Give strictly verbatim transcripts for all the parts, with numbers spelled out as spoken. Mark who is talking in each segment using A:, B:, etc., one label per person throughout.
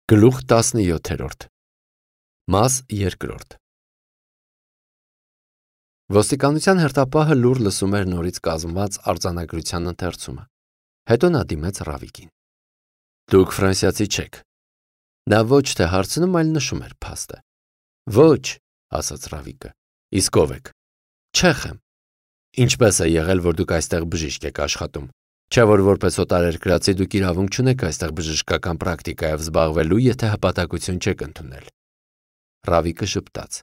A: Գլուխ տասնյոթերորդ Մաս երկրորդ Ոստիկանության հերթապահը լուր լսում էր նորից կազմված արձանագրության ընթերցումը։ Հետո նա դիմեց Ռավիկին։ Դուք ֆրանսիացի չեք։ Նա ոչ թե հարցնում, այլ նշում էր փաստը։ Ոչ, ասաց Ռավիկը։ Իսկ ով եք։ Չեխ եմ։ Ինչպես է եղել, որ դուք այստեղ բժիշկ եք աշխատում։ Չէ՞ որ որպես օտարերկրացի դուք իրավունք չունեք այստեղ բժշկական պրակտիկայով զբաղվելու, եթե հպատակություն չեք ընդունել։ Ռավիկը ժպտաց։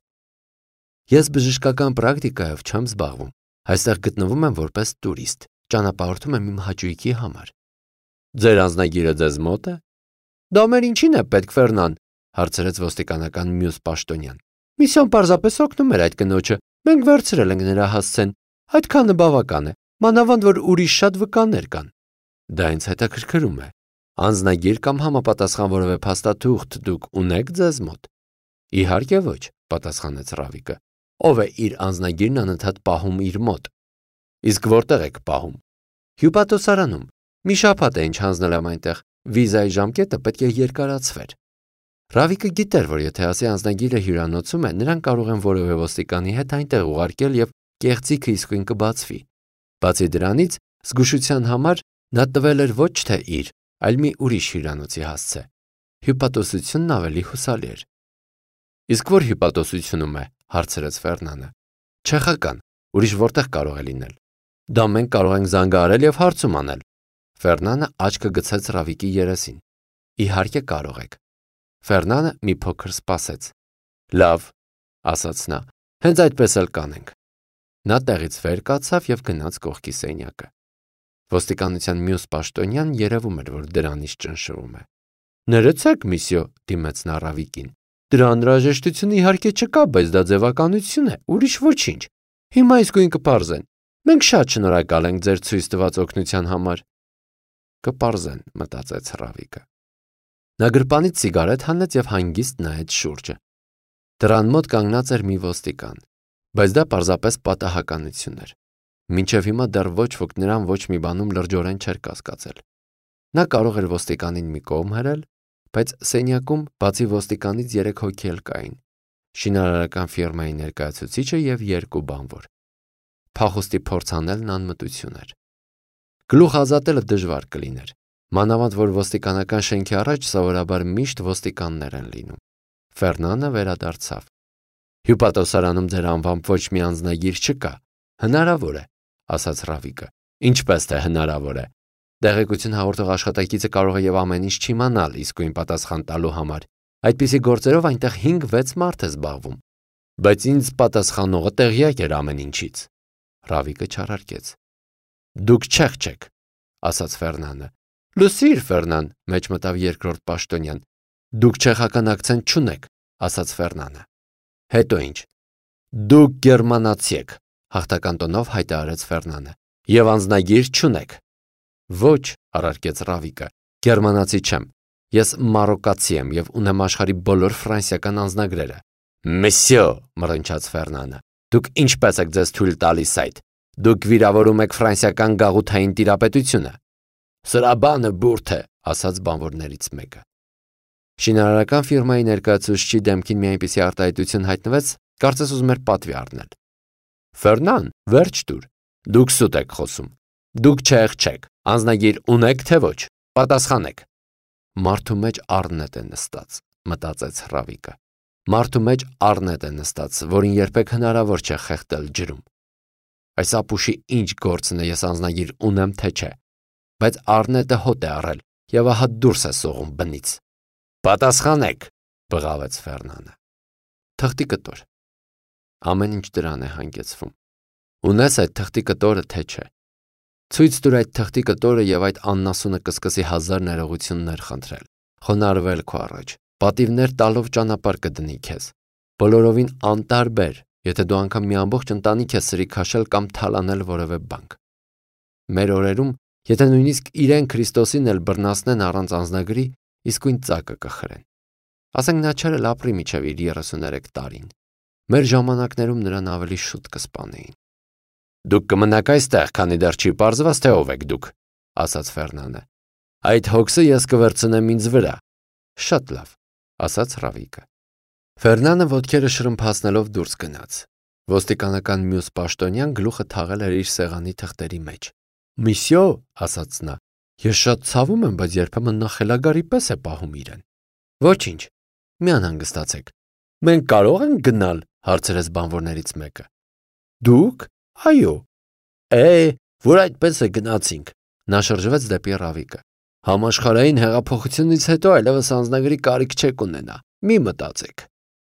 A: Ես բժշկական պրակտիկայով չեմ զբաղվում, այստեղ գտնվում եմ որպես տուրիստ, ճանապարհորդում եմ իմ հաճույքի համար։ Ձեր անձնագիրը ձեզ մոտ է։ Դա մեր ինչին է պետք, Ֆերնան, հարցրեց ոստիկանական մյուս պաշտոնյան։ Միսիոն պարզապես օգնում էր այդ կնոջը, մենք վերցրել ենք նրա հասցեն, այդքանը բավական է, մանավանդ որ ուրիշ շատ վկաներ կան։ Դա ինձ հետաքրքրում է։ Անձնագիր կամ համապատասխան որևէ փաստաթուղթ դուք ունեք ձեզ մոտ։ Իհարկե ոչ, պատասխանեց Ռավիկը։ Ով է իր անձնագիրն անընդհատ պահում իր մոտ։ Իսկ որտեղ եք պահում։ Հյուպատոսարանում։ Մի շաբաթ է ինչ հանձնել եմ այնտեղ, վիզայի ժամկետը պետք է երկարացվեր։ Ռավիկը գիտեր, որ եթե ասի անձնագիրը հյուրանոցում է, նրան կարող են որևէ ոստիկանի հետ այնտեղ ուղարկել եւ կեղծիքը իսկույն կբացվի։ Բացի դրանից, զգուշության համար նա տվել էր ոչ թե իր, այլ մի ուրիշ հյուրանոցի հասցե։ Հյուպատոսությունն ավելի հուսալի էր։ Իսկ որ հյուպատոսությունում է, հարցրեց Ֆերնանը։ Չեխական, ուրիշ որտեղ կարող է լինել։ Դա մենք կարող ենք զանգահարել եւ հարցում անել։ Ֆերնանը աչքը գցեց Ռավիկի երեսին։ Իհարկե կարող եք։ Ֆերնանը մի փոքր սպասեց։ Լավ, ասաց նա, հենց այդպես էլ կանենք։ Նա տեղից վեր կացավ եւ գնաց կողքի սենյակը։ Ոստիկանության մյուս պաշտոնյան երևում էր, որ դրանից ճնշվում է։ Ներեցեք, միսյո, դիմեց նա Ռավիկին։ Դրա անհրաժեշտությունը իհարկե չկա, բայց դա ձևականություն է, ուրիշ ոչինչ։ Հիմա իսկույն կպարզեն։ Մենք շատ շնորհակալ ենք ձեր ցույց տված օգնության համար։ Կպարզեն, մտածեց Ռավիկը։ Նա գրպանից սիգարետ հանեց եւ հանգիստ նայեց շուրջը։ Դրան մոտ կանգնած էր մի ոստիկան, բայց դա պարզապես պատահականություն էր։ Մինչև հիմա դեռ ոչ ոք նրան ոչ մի բանում լրջորեն չէր կասկածել։ Նա կարող էր ոստիկանին մի կողմ հրել, բայց սենյակում բացի ոստիկանից երեք հոգի էլ կային։ Շինարարական ֆիրմայի ներկայացուցիչը եւ երկու բանվոր։ Փախուստի փորձ անելն անմտություն էր։ Գլուխ ազատելը դժվար կլիներ, մանավանդ որ ոստիկանական շենքի առաջ սովորաբար միշտ ոստիկաններ են լինում։ Ֆերնանը վերադարձավ։ Հյուպատոսարանում ձեր անվամբ ոչ մի անձնագիր չկա։ Հնարավոր է, ասաց Ռավիկը։ Ինչպես թե հնարավոր է։ Տեղեկություն հաղորդող աշխատակիցը կարող է եւ ամեն ինչ չիմանալ իսկույն պատասխան տալու համար։ Այդպիսի գործերով այնտեղ հինգ-վեց մարդ է զբաղվում։ Բայց ինձ պատասխանողը տեղյակ էր ամեն ինչից։ Ռավիկը չարարկեց։ Դուք չեք չեք, ասաց Ֆերնանը։ Լուսիր, Ֆերնան, մեջ մտավ երկրորդ պաշտոնյան։ Դուք չեխական ակցենտ չունեք, ասաց Ֆերնանը։ Հետո ինչ։ Դուք գերմանացի եք, հաղթական տոնով հայտարարեց Ֆերնանը։ Եվ անձնագիր չունեք։ Ոչ, առարկեց Ռավիկը, գերմանացի չեմ։ Ես մարոկացի եմ եւ ունեմ աշխարհի բոլոր ֆրանսիական անձնագրերը։ Մեսյո, մռնչաց Ֆերնանը։ Դուք ինչպես եք ձեզ թույլ տալիս այդ։ Դուք վիրավորում եք ֆրանսիական գաղութային տիրապետությունը։ Սրա բանը բուրդ է, ասաց բանվորներից մեկը։ Շինարարական ֆիրմայի ներկայացուցիչի դեմքին մի այնպիսի արտահայտություն հայտնվեց, կարծես ուզում էր պատվի առնել։ Ֆերնան, վերջ տուր։ Դուք սուտ եք խոսում։ Դուք չեղ չեք, անձնագիր ունեք թե ոչ։ Պատասխանեք։ Մարդու մեջ առնետ է նստած, մտածեց Ռավիկը։ Մարդու մեջ առնետ է նստած, որին երբեք հնարավոր չէ խեղդել ջրում։ Այս ապուշի ինչ գործն է, ես անձնագիր ունեմ թե չէ։ Բայց առնետը հոտ է առել եւ ահա դուրս է սողում բնից։ Պատասխանեք, բղավեց Ֆերնանը։ Թղթի կտոր։ Ամեն ինչ դրան է հանգեցվում։ Ունես այդ թղթի կտորը թե չէ։ Ցույց տուր այդ թղթի կտորը եւ այդ աննասունը կսկսի հազար ներողություններ խնդրել։ Խոնարհվել քո առաջ, պատիվներ տալով ճանապարհ կդնի քեզ։ Բոլորովին անտարբեր, եթե դու անգամ մի ամբողջ ընտանիք ես սրի քաշել կամ թալանել որևէ բանկ։ Մեր օրերում, եթե նույնիսկ իրեն Քրիստոսին էլ բռնացնեն առանց անձնագրի, իսկույն ծակը կխրեն։ Ասենք նա չէր էլ ապրի միջև իր երեսուներեք տարին։ Մեր ժամանակներում նրան ավելի շուտ կսպանեին։ Դուք կմնաք այստեղ, քանի դեռ չի պարզված թե ով եք դուք, ասաց Ֆերնանը։ Այդ հոգսը ես կվերցնեմ ինձ վրա։ Շատ լավ, ասաց Ռավիկը։ Ֆերնանը ոտքերը շրմփացնելով դուրս գնաց։ Ոստիկանական մյուս պաշտոնյան գլուխը թաղել էր իր սեղանի թղթերի մեջ։ Միսյո, ասաց նա, ես շատ ցավում եմ, բայց երբեմն նա խելագարի պես է պահում իրեն։ Ոչինչ, մի անհանգստացեք։ Մենք կարող ենք գնալ, հարցրեց բանվորներից մեկը։ Դուք։ Այո։ Է, որ այդպես է գնացինք։ Նա շրջվեց դեպի Ռավիկը։ Համաշխարհային հեղափոխությունից հետո այլևս անձնագրի կարիք չեք ունենա։ Մի մտածեք։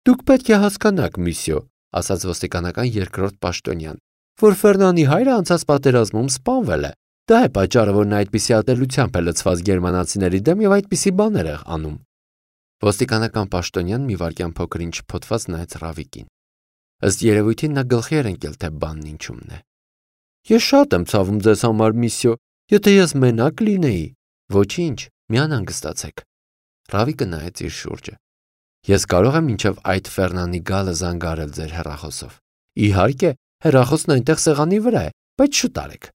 A: Դուք պետք է հասկանաք, միսյո, ասաց ոստիկանական երկրորդ պաշտոնյան, որ Ֆերնանի հայրը անցած պատերազմում սպանվել է։ Դա է պատճառը, որ նա այդպիսի ատելությամբ է լցված գերմանացիների դեմ եւ այդպիսի բաներ է անում։ Ոստիկանական պաշտոնյան մի վայրկյան փոքր-ինչ փոթված նայեց Ռավիկին։ Ըստ երևույթին նա գլխի էր ընկել, թե բանն ինչումն է։ Ես շատ եմ ցավում ձեզ համար, միսյո, եթե ես մենակ լինեի։ Ոչինչ, մի անհանգստացեք։ Ռավիկը նայեց իր շուրջը։ Ես կարող եմ մինչև այդ Ֆերնանի գալը զանգարել ձեր հեռախոսով։ Իհարկե, հեռախոսն այնտեղ սեղանի վրա է, բայց շուտ արեք։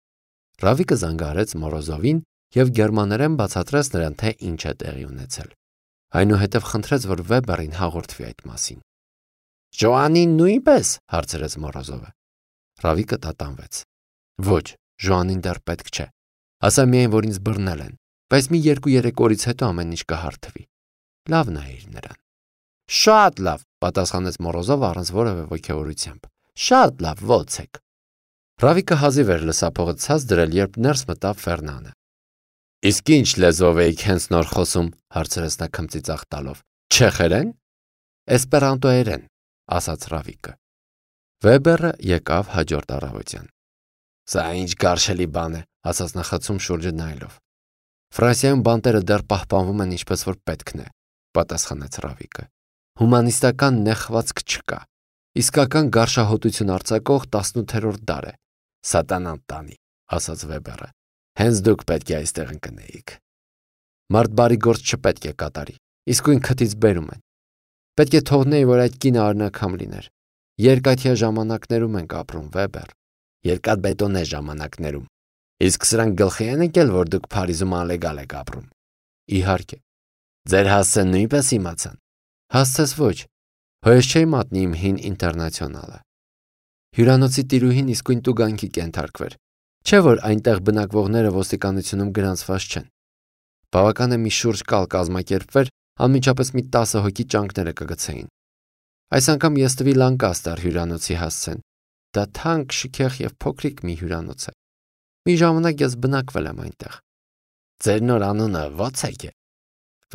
A: Ռավիկը զանգարեց Մորոզովին եւ գերմաներեն բացատրեց նրան, թե ինչ է տեղի ունեցել։ Այնուհետև խնդրեց, որ Վեբերին հաղորդվի այդ մասին։ Ժոանին նույնպես, հարցրեց Մորոզովը։ Ռավիկը տատանվեց։ Ոչ, Ժոանին դեռ պետք չէ։ Ասա միայն, որ ինձ բռնել են, բայց մի երկու-երեք օրից հետո ամեն ինչ կհարթվի։ Լավ նայիր նրան։ Շատ լավ, պատասխանեց Մորոզովը առանց որևէ ոգևորությամբ։ Շատ լավ, ոցեք։ Ռավիկը հազիվ էր լսափողը ցած դրել, երբ ներս մտավ Ֆերնանը։ Իսկ ինչ լեզվով եք հենց նոր խոսում, հարցրեց նա քմծիծաղ տալով։ Չեխերեն։ Էսպերանտոերեն, ասաց Ռավիկը։ Վեբերը եկավ հաջորդ առավոտյան։ Սա ինչ գարշելի բան է, ասաց նա խցում շուրջը նայելով։ Ֆրանսիայում բանտերը դեռ պահպանվում են ինչպես որ պետքն է, պատասխանեց Ռավիկը։ Հումանիստական նեղվածք չկա։ Իսկական գարշահոտություն արձակող տասնութերորդ դար է։ Սատանան տանի, ասաց Վեբերը։ Հենց դուք պետք է այստեղ ընկնեիք։ Մարդ բարի գործ չպետք է կատարի, իսկույն քթից բերում են։ Պետք է թողնեի, որ այդ կինը արնակամ լիներ։ Երկաթյա ժամանակներում ենք ապրում, Վեբեր։ Երկաթբետոնե ժամանակներում։ Իսկ սրանք գլխի են եկել, որ դուք Փարիզում անլեգալ եք ապրում։ Իհարկե։ Ձեր հասցեն նույնպես իմացան։ Հասցես ոչ։ Հոյս չէի մատնի իմ հին ինտերնացիոնալը։ Հյուրանոցի տիրուհին իսկույն տուգանքի կենթարկվեր, չէ որ այնտեղ բնակվողները ոստիկանությունում գրանցված չեն։ Բավական է մի շուրջ կալ կազմակերպվեր, անմիջապես մի տասը հոգի ճանկները կգցեին։ Այս անգամ ես տվի Լանկաստեր հյուրանոցի հասցեն։ Դա թանկ, շքեղ եւ փոքրիկ մի հյուրանոց է։ Մի ժամանակ ես բնակվել եմ այնտեղ։ Ձեր նոր անունը ո՞ց է։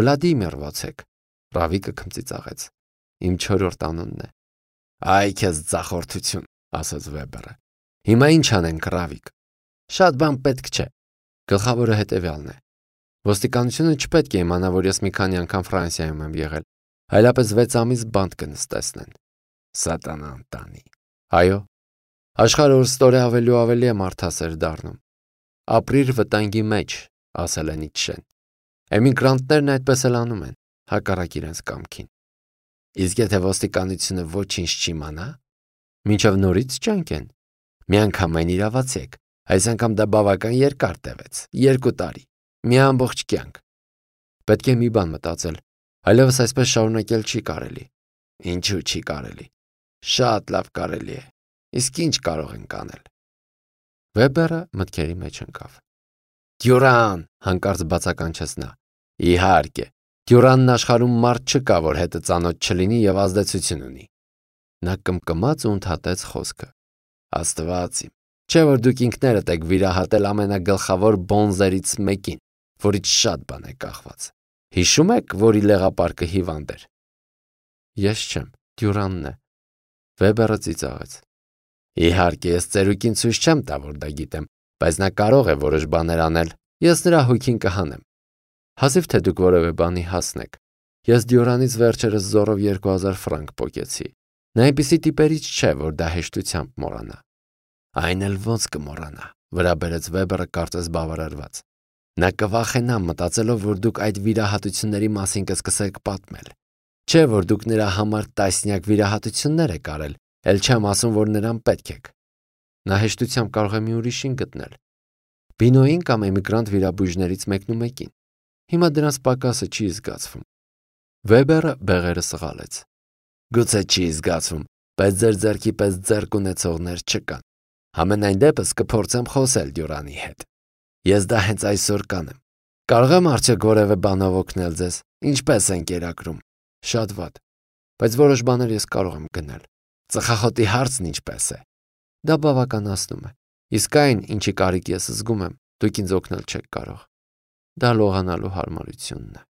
A: Վլադիմիր ո՞ց։ Ռավիկը քմծիծաղեց։ Իմ չորրորդ անունն է։ Այ քեզ ծախորդություն, ասաց Վեբերը։ Հիմա ինչ անենք, Ռավիկ։ Շատ բան պետք չէ։ Գլխավորը հետևյալն է։ Ոստիկանությունը չպետք է իմանա, որ ես մի քանի անգամ Ֆրանսիայում եմ եղել, այլապես վեց ամիս բանտ կնստեցնեն։ Սատանան տանի։ Այո։ Աշխարհը օրստորե ավելի ու ավելի է մարդասեր դառնում։ Ապրիր վտանգի մեջ, ասել է Նիցշեն։ Էմիգրանտներն այդպես էլ անում են, հակառակ իրենց կամքին։ Իսկ եթե ոստիկանությունը ոչինչ չիմանա, մինչև նորից ճանկեն։ Միանգամայն իրավացեք, այս անգամ դա բավական երկար տևեց, երկու տարի, մի ամբողջ կյանք։ Պետք է մի բան մտածել, այլևս այսպես շարունակել չի կարելի։ Ինչու չի կարելի։ Շատ լավ կարելի է։ Իսկ ինչ կարող ենք անել։ Վեբերը մտքերի մեջ ընկավ։ Դյուրան, հանկարծ բացականչեց նա։ Իհարկե, Դյուրանն աշխարհում մարդ չկա, որ հետը ծանոթ չլինի եւ ազդեցություն ունի։ Նա կմկմաց ու ընդհատեց խոսքը։ Աստված իմ, չէ որ դուք ինքներդ եք վիրահատել ամենագլխավոր բոնզերից մեկին, որից շատ բան է կախված։ Հիշում եք, որի լեղապարկը հիվանդ էր։ Ես չեմ, Դյուրանն է։ Վեբերը ծիծաղեց։ Իհարկե, ես ծերուկին ցույց չեմ տա, որ դա գիտեմ, բայց նա կարող է որոշ բաներ անել։ Ես նրա հոգին կհանեմ։ Հազիվ թե դուք որևէ բանի հասնեք։ Ես Դյուրանից վերջերս զորով երկու հազար ֆրանկ պոկեցի։ Նա այնպիսի տիպերից չէ, որ դա հեշտությամբ մոռանա։ Այն էլ ոնց կմոռանա, վրա բերեց Վեբերը կարծես բավարարված։ Նա կվախենա մտածելով, որ դուք այդ վիրահատությունների մասին կսկսեք պատմել։ Չէ, որ դուք նրա համար տասնյակ վիրահատություններ եք արել, էլ չեմ ասում, որ նրան պետք եք։ Նա հեշտությամբ կարող է մի ուրիշին գտնել։ Բինոյին կամ էմիգրանտ վիրաբույժներից մեկն ու մեկին։ Հիմա դրանց պակասը չի զգացվում։ Վեբերը բեղերը սղալեց։ Գուցե չի զգացվում, բայց ձեր ձեռքի պես ձեռք ունեցողներ չկան։ Համենայն դեպս կփորձեմ խոսել Դյուրանի հետ։ Ես դա հենց այսօր կանեմ։ Կարող եմ արդյոք որևէ բանով օգնել ձեզ։ Ինչպես են կերակրում։ Շատ վատ։ Բայց որոշ բաներ ես կարող եմ գնել։ Ծխախոտի հարցն ինչպես է։ Դա բավականացնում է։ Իսկ այն, ինչի կարիք ես զգում եմ, դուք ինձ օգնել չեք կարող։ Դա լողանալու հարմարությունն է։